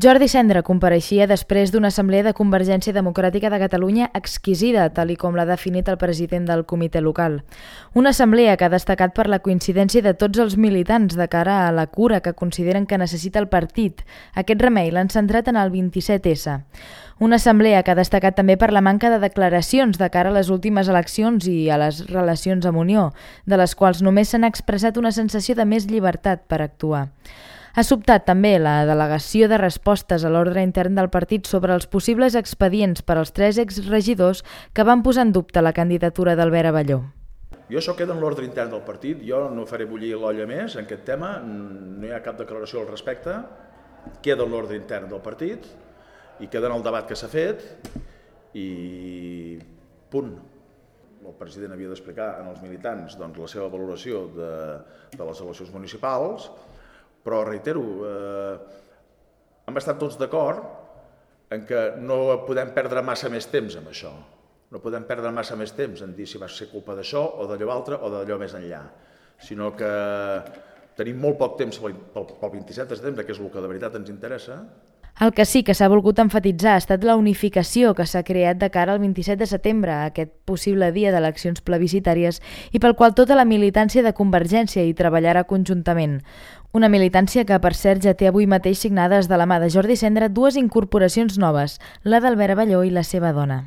Jordi Sendra compareixia després d'una assemblea de Convergència Democràtica de Catalunya exquisida, tal i com l'ha definit el president del comitè local. Una assemblea que ha destacat per la coincidència de tots els militants de cara a la cura que consideren que necessita el partit. Aquest remei l'han centrat en el 27S. Una assemblea que ha destacat també per la manca de declaracions de cara a les últimes eleccions i a les relacions amb Unió, de les quals només s'han expressat una sensació de més llibertat per actuar. Ha sobtat també la delegació de respostes a l'ordre intern del partit sobre els possibles expedients per als 3 exregidors que van posar en dubte la candidatura d'Albert Abelló. Jo això queda en l'ordre intern del partit, jo no faré bullir l'olla més en aquest tema, no hi ha cap declaració al respecte, queda en l'ordre intern del partit i queda en el debat que s'ha fet i punt. El president havia d'explicar als militants la seva valoració de les eleccions municipals, però reitero, hem estat tots d'acord en que no podem perdre massa més temps amb això. No podem perdre massa més temps en dir si va ser culpa d'això o d'allò altre o d'allò més enllà, sinó que tenim molt poc temps pel 27 de setembre, que és el que de veritat ens interessa. El que sí que s'ha volgut emfatitzar ha estat la unificació que s'ha creat de cara al 27 de setembre, aquest possible dia d'eleccions plebiscitàries, i pel qual tota la militància de Convergència hi treballarà conjuntament. Una militància que, per cert, ja té avui mateix signades de la mà de Jordi Sendra 2 incorporacions noves, la d'Albert Abelló i la seva dona.